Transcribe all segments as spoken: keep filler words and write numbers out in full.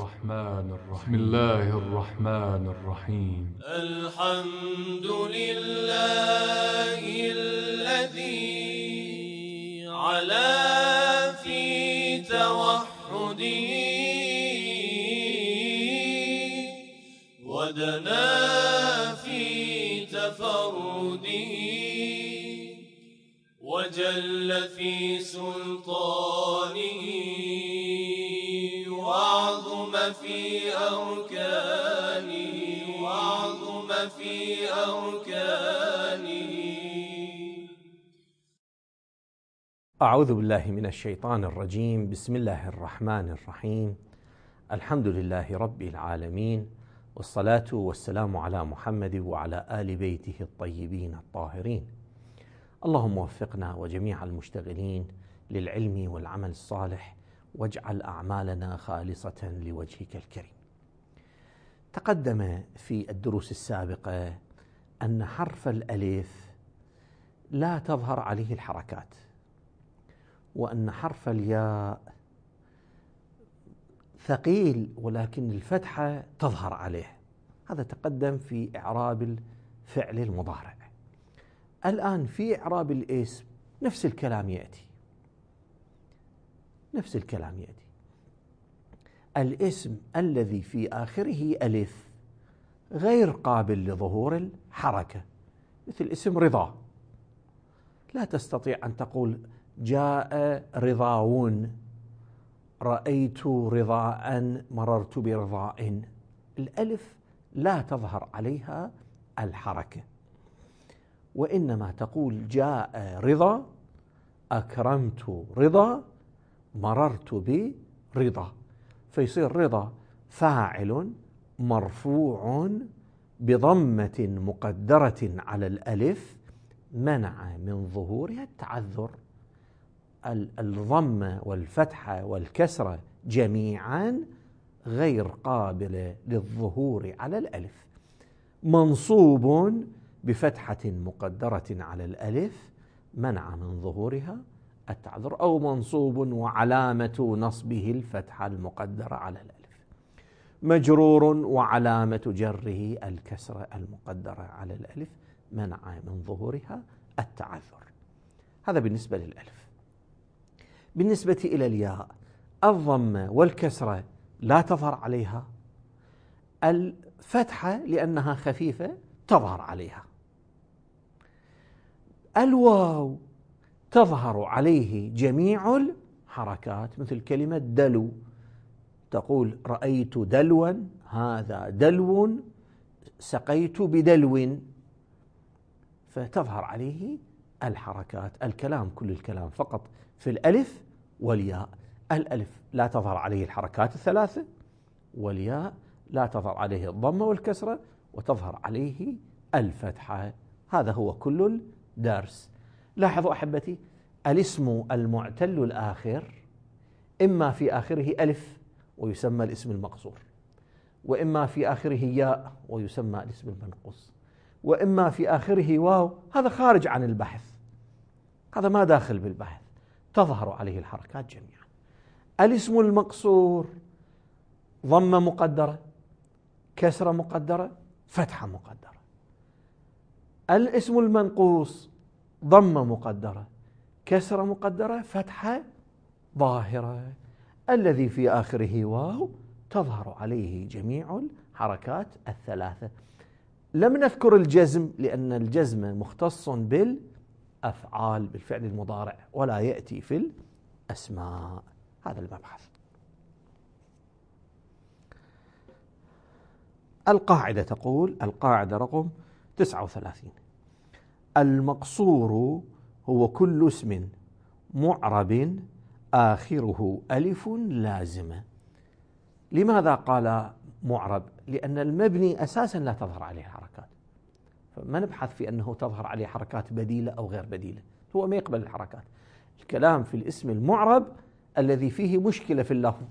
الرحمن الرحيم. بسم الله الرحمن الرحيم. الحمد لله الذي علا في توحده ودنا في تفرده وجل في سلطانه وعظم في أركانه وعظم في أركانه. أعوذ بالله من الشيطان الرجيم. بسم الله الرحمن الرحيم. الحمد لله رب العالمين، والصلاة والسلام على محمد وعلى آل بيته الطيبين الطاهرين. اللهم وفقنا وجميع المشتغلين للعلم والعمل الصالح، واجعل أعمالنا خالصة لوجهك الكريم. تقدم في الدروس السابقة أن حرف الألف لا تظهر عليه الحركات، وأن حرف الياء ثقيل ولكن الفتحة تظهر عليه. هذا تقدم في إعراب الفعل المضارع. الآن في إعراب الاسم نفس الكلام يأتي، نفس الكلام يأتي. الاسم الذي في آخره ألف غير قابل لظهور الحركة، مثل اسم رضا. لا تستطيع أن تقول جاء رضاون، رأيت رضاء، مررت برضاء. الألف لا تظهر عليها الحركة، وإنما تقول جاء رضا، أكرمت رضا، مررت برضا. فيصير رضا فاعل مرفوع بضمة مقدرة على الألف منع من ظهورها التعذر. الضمة والفتحة والكسرة جميعا غير قابلة للظهور على الألف. منصوب بفتحة مقدرة على الألف منع من ظهورها التعذر، أو منصوب وعلامة نصبه الفتحة المقدرة على الألف، مجرور وعلامة جره الكسرة المقدرة على الألف منع من ظهورها التعذر. هذا بالنسبة للألف. بالنسبة إلى الياء، الضمة والكسرة لا تظهر عليها، الفتحة لأنها خفيفة تظهر عليها، الواو تظهر عليه جميع الحركات، مثل كلمة دلو، تقول رأيت دلوا، هذا دلو، سقيت بدلو، فتظهر عليه الحركات. الكلام كل الكلام فقط في الألف والياء. الألف لا تظهر عليه الحركات الثلاثة، والياء لا تظهر عليه الضمة والكسرة، وتظهر عليه الفتحة. هذا هو كل الدرس. لاحظوا أحبتي، الاسم المعتل الآخر إما في آخره ألف ويسمى الاسم المقصور، وإما في آخره ياء ويسمى الاسم المنقوص، وإما في آخره واو، هذا خارج عن البحث، هذا ما داخل بالبحث، تظهر عليه الحركات جميعا. الاسم المقصور ضمة مقدرة، كسرة مقدرة، فتحة مقدرة. الاسم المنقوص ضمة مقدرة، كسرة مقدرة، فتحة ظاهرة. الذي في آخره واو تظهر عليه جميع الحركات الثلاثة. لم نذكر الجزم لأن الجزم مختص بالأفعال، بالفعل المضارع، ولا يأتي في الأسماء. هذا المبحث. القاعدة تقول، القاعدة رقم تسعة وثلاثين: المقصور هو كل اسم معرب آخره ألف لازمة. لماذا قال معرب؟ لأن المبني أساسا لا تظهر عليه حركات، فما نبحث في أنه تظهر عليه حركات بديلة أو غير بديلة، هو ما يقبل الحركات. الكلام في الاسم المعرب الذي فيه مشكلة في اللفظ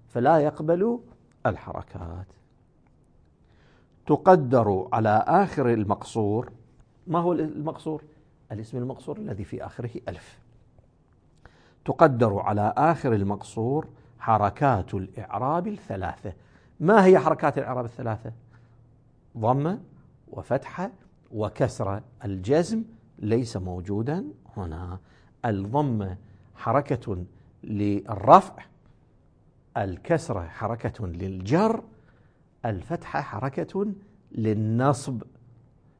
فلا يقبل الحركات. تقدر على آخر المقصور. ما هو المقصور؟ الاسم المقصور الذي في آخره ألف. تقدر على آخر المقصور حركات الإعراب الثلاثة. ما هي حركات الإعراب الثلاثة؟ ضمة وفتحة وكسرة. الجزم ليس موجودا هنا. الضمة حركة للرفع، الكسرة حركة للجر، الفتحة حركة للنصب.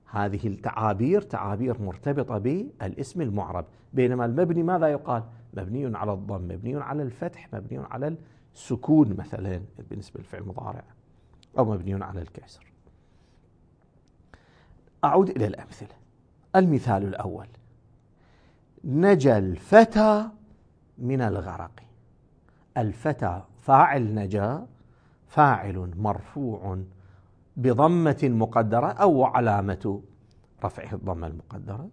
هذه التعابير تعابير مرتبطة بالاسم المعرب، بينما المبني ماذا يقال؟ مبني على الضم، مبني على الفتح، مبني على السكون مثلا بالنسبة للفعل المضارع، أو مبني على الكسر. أعود إلى الأمثلة. المثال الأول: نجا الفتى من الغرق. الفتى فاعل نجا، فاعل مرفوع بضمة مقدرة أو علامة رفعه الضمة المقدرة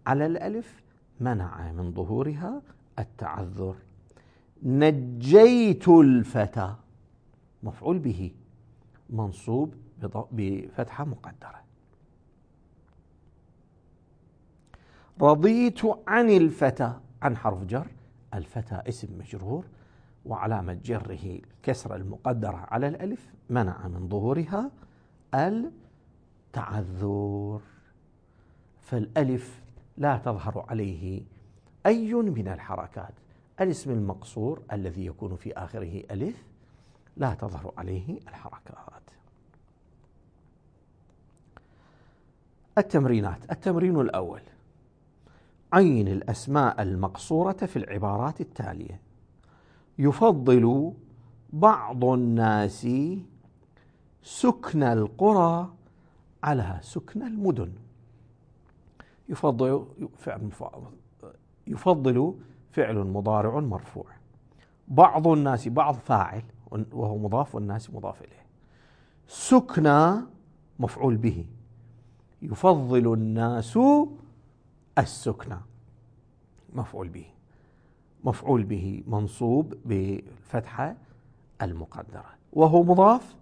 على الألف، منع من ظهورها التعذر. نجيت الفتى مفعول به منصوب بفتحة مقدرة. رضيت عن الفتى، عن حرف جر، الفتى اسم مجرور وعلامة جره الكسرة المقدرة على الألف، منع من ظهورها التعذر. فالألف لا تظهر عليه أي من الحركات. الاسم المقصور الذي يكون في آخره ألف لا تظهر عليه الحركات. التمرينات. التمرين الأول: عين الأسماء المقصورة في العبارات التالية. يفضل بعض الناس سكن القرى على سكن المدن. يفضل فعل يفضل فعل مضارع مرفوع. بعض الناس، بعض فاعل وهو مضاف، والناس مضاف إليه. سكن مفعول به. يفضل الناس السكنى مفعول به، مفعول به منصوب بالفتحة المقدرة وهو مضاف.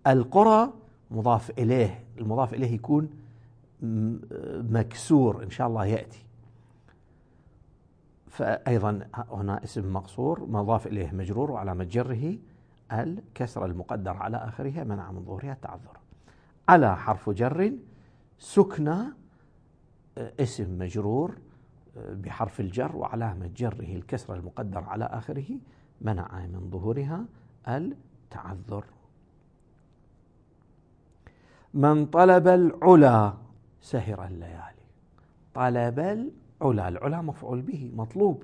القرى مضاف إليه، المضاف إليه يكون مكسور إن شاء الله يأتي. فأيضا هنا اسم مقصور مضاف إليه مجرور وعلامة جره الكسرة المقدرة على آخرها، منع من ظهورها التعذر. على حرف جر، سكنى اسم مجرور بحرف الجر وعلامة جره الكسرة المقدرة على آخره، منع من ظهورها التعذر. من طلب العلا سهر الليالي. طلب العلا، العلا مفعول به مطلوب،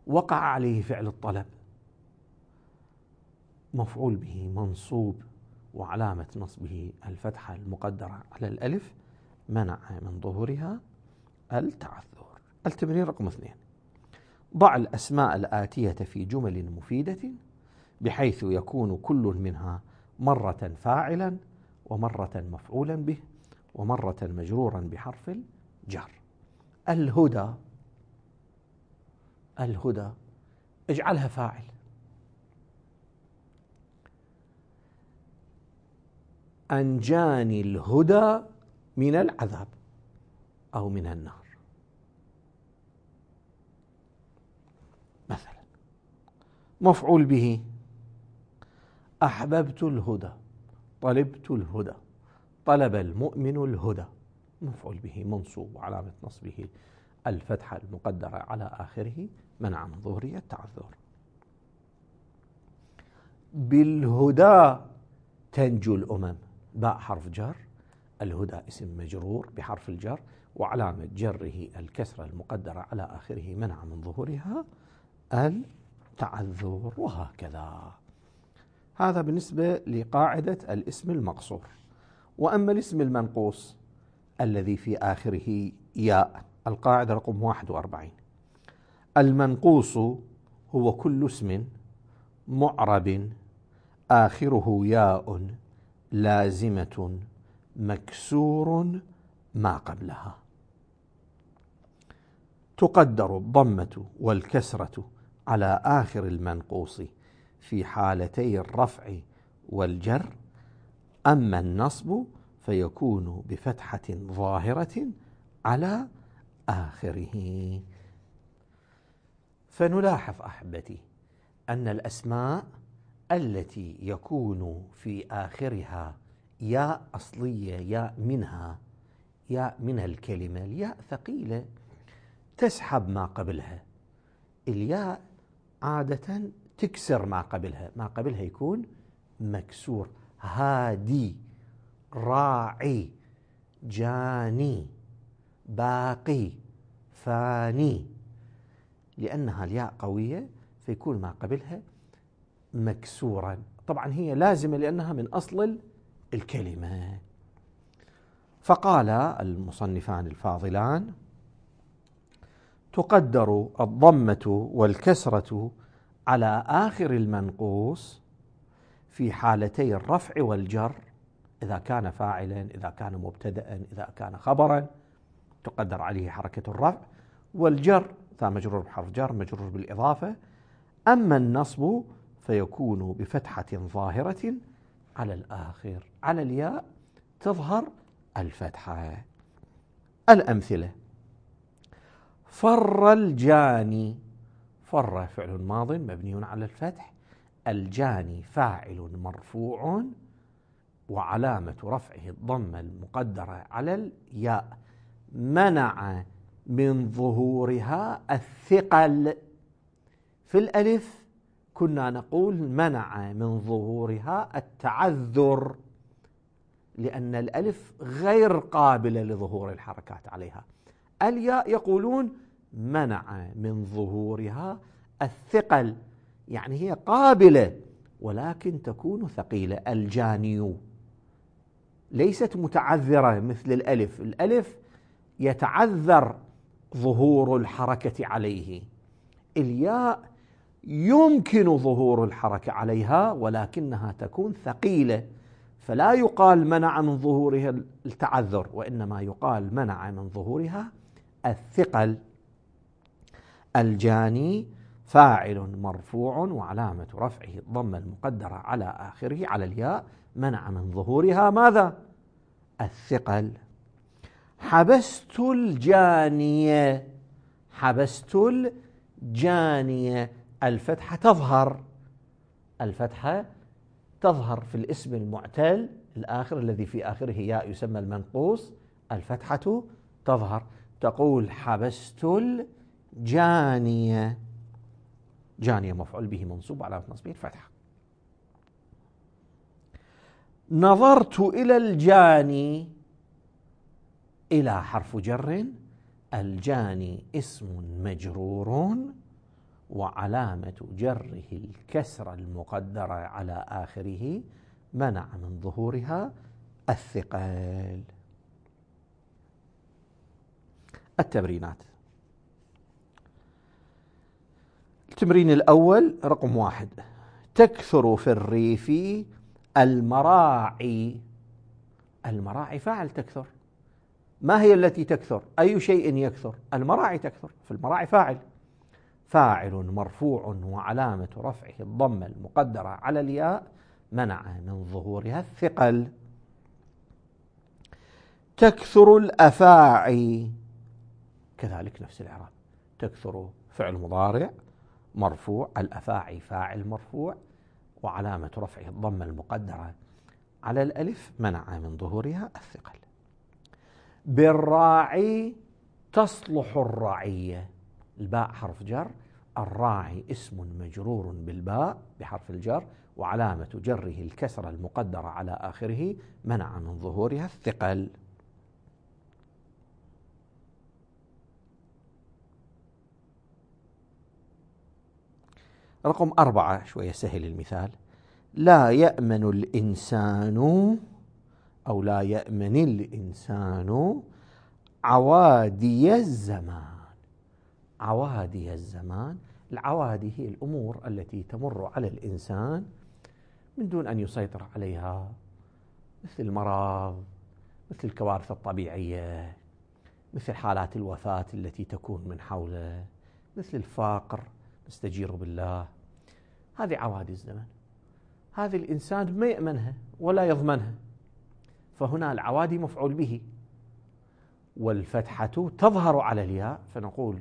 وقع عليه فعل الطلب، مفعول به منصوب وعلامة نصبه الفتحة المقدرة على الألف، منع من ظهورها التعذر. التمرين رقم اثنين: ضع الأسماء الآتية في جمل مفيدة بحيث يكون كل منها مرة فاعلا ومرة مفعولا به ومرة مجرورا بحرف الجر. الهدى، الهدى اجعلها فاعل. أنجاني الهدى من العذاب أو من النار مثلا. مفعول به: أحببت الهدى، طلبت الهدى، طلب المؤمن الهدى. مفعول به منصوب وعلامة نصبه الفتحة المقدرة على آخره، منع من ظهوره التعذر. بالهدى تنجو الأمم، باء حرف جر، الهدى اسم مجرور بحرف الجر وعلامة جره الكسرة المقدرة على آخره، منع من ظهورها التعذر. وهكذا. هذا بالنسبة لقاعدة الاسم المقصور. وأما الاسم المنقوص الذي في آخره ياء، القاعدة رقم واحد وأربعين: المنقوص هو كل اسم معرب آخره ياء لازمة مكسور ما قبلها. تقدر الضمة والكسرة على آخر المنقوص في حالتي الرفع والجر، أما النصب فيكون بفتحة ظاهرة على آخره. فنلاحظ أحبتي أن الأسماء التي يكون في آخرها ياء أصلية، ياء منها، ياء من الكلمة، الياء ثقيلة تسحب ما قبلها. الياء عادة تكسر ما قبلها، ما قبلها يكون مكسور. هادي، راعي، جاني، باقي، فاني، لأنها الياء قوية فيكون ما قبلها مكسورا. طبعا هي لازمة لأنها من أصل الكلمة. فقال المصنفان الفاضلان: تقدر الضمة والكسرة على آخر المنقوص في حالتي الرفع والجر، إذا كان فاعلا، إذا كان مبتدأ، إذا كان خبرا، تقدر عليه حركة الرفع والجر، إذا مجرور بحرف جر، مجرور بالإضافة. أما النصب فيكون بفتحة ظاهرة على الآخر، على الياء تظهر الفتحة. الأمثلة: فر الجاني، فر فعل ماض مبني على الفتح، الجاني فاعل مرفوع وعلامة رفعه الضمة المقدرة على الياء، منع من ظهورها الثقل. في الألف كنا نقول منع من ظهورها التعذر، لأن الألف غير قابلة لظهور الحركات عليها. الياء يقولون منع من ظهورها الثقل، يعني هي قابلة ولكن تكون ثقيلة. الجاني ليست متعذرة مثل الألف، الألف يتعذر ظهور الحركة عليه، الياء يمكن ظهور الحركة عليها ولكنها تكون ثقيلة، فلا يقال منع من ظهورها التعذر، وإنما يقال منع من ظهورها الثقل. الجاني فاعل مرفوع وعلامة رفعه الضمة المقدرة على آخره على الياء، منع من ظهورها ماذا؟ الثقل. حبست الجانية، حبست الجانية، الفتحة تظهر، الفتحة تظهر في الاسم المعتل الآخر الذي في آخره ياء يسمى المنقوص، الفتحة تظهر، تقول حبست الجانية، جانية مفعول به منصوب على نصبه الفتحة. نظرت إلى الجاني، إلى حرف جر، الجاني اسم مجرور وعلامة جره الكسرة المقدرة على آخره، منع من ظهورها الثقل. التمرينات. التمرين الأول رقم واحد: تكثر في الريف المراعي. المراعي فاعل تكثر، ما هي التي تكثر؟ أي شيء يكثر؟ المراعي تكثر، فالمراعي فاعل، فاعل مرفوع وعلامة رفعه الضمة المقدرة على الياء، منع من ظهورها الثقل. تكثر الأفاعي، كذلك نفس الإعراب، تكثر فعل مضارع مرفوع، الأفاعي فاعل مرفوع وعلامة رفعه الضمة المقدرة على الألف، منع من ظهورها الثقل. بالراعي تصلح الرعية، الباء حرف جر، الراعي اسم مجرور بالباء بحرف الجر وعلامة جره الكسرة المقدرة على آخره، منع من ظهورها الثقل. رقم أربعة، شوية سهل المثال: لا يأمن الإنسان أو لا يأمن الإنسان عوادي الزمان. عوادي الزمان، العوادي هي الأمور التي تمر على الإنسان من دون أن يسيطر عليها، مثل المرض، مثل الكوارث الطبيعية، مثل حالات الوفاة التي تكون من حوله، مثل الفقر، نستجير بالله. هذه عوادي الزمن، هذه الإنسان ما يأمنها ولا يضمنها، فهنا العوادي مفعول به، والفتحة تظهر على الياء، فنقول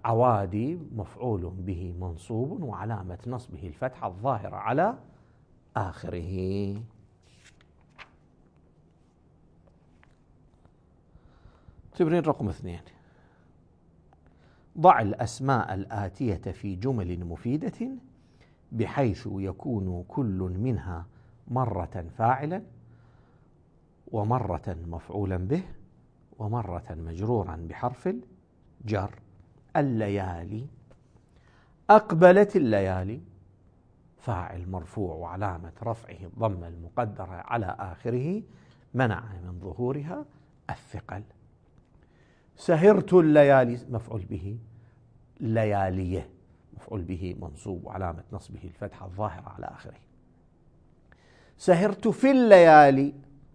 عوادي مفعول به منصوب وعلامة نصبه الفتحة الظاهرة على آخره. تمرين رقم اثنين: ضع الأسماء الآتية في جمل مفيدة بحيث يكون كل منها مرة فاعلا ومرة مفعولا به ومرة مجرورا بحرف الجر. الليالي، أقبلت الليالي، فاعل مرفوع وعلامة رفعه الضمة المقدرة على آخره منع من ظهورها الثقل. سهرت الليالي مفعول به، لياليه مفعول به منصوب وعلامة نصبه الفتحة الظاهرة على آخره. سهرت في الليالي،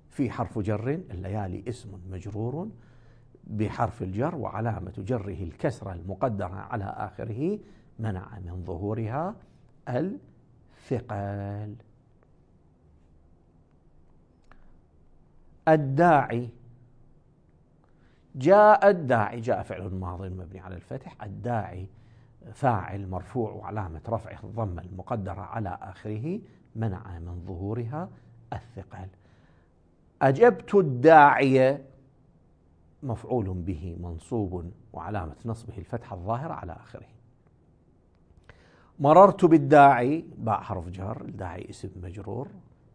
في حرف جر، الليالي اسم مجرور بحرف الجر وعلامة جره الكسرة المقدرة على آخره منع من ظهورها الثقل. الداعي، جاء الداعي، جاء فعل ماض مبني على الفتح، الداعي فاعل مرفوع وعلامة رفعه الضمة المقدرة على آخره منع من ظهورها الثقل. أجبت الداعية مفعول به منصوب وعلامة نصبه الفتحة الظاهرة على آخره. مررت بالداعي، باء حرف جر، الداعي اسم مجرور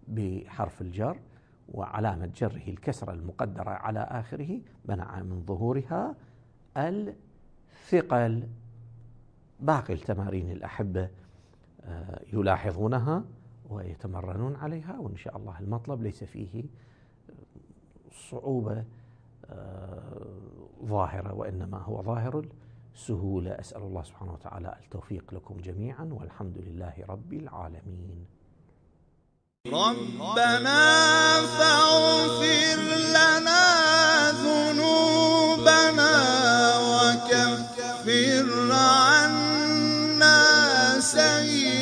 بحرف الجر وعلامة جره الكسرة المقدرة على آخره منع من ظهورها الثقل. باقي التمارين الأحبة يلاحظونها ويتمرنون عليها، وإن شاء الله المطلب ليس فيه صعوبة ظاهرة، وإنما هو ظاهر السهولة. أسأل الله سبحانه وتعالى التوفيق لكم جميعا، والحمد لله رب العالمين. ربنا فاغفر لنا ذنوبنا وكفر عنا سيئاتنا.